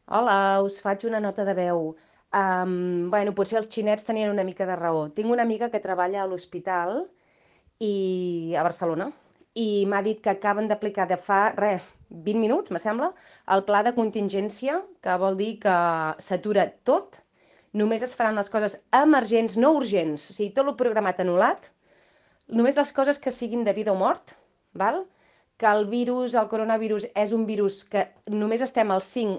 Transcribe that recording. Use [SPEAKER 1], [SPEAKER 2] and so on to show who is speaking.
[SPEAKER 1] Hola, us faig una nota de veu. Potser els xinets tenien una mica de raó. Tinc una amiga que treballa a l'hospital a Barcelona i m'ha dit que acaben d'aplicar de fa, 20 minuts, me sembla, el pla de contingència, que vol dir que s'atura tot, només es faran les coses emergents, no urgents, o sigui, tot el programat anul·lat, només les coses que siguin de vida o mort, val? Que el coronavirus, és un virus que només estem al 5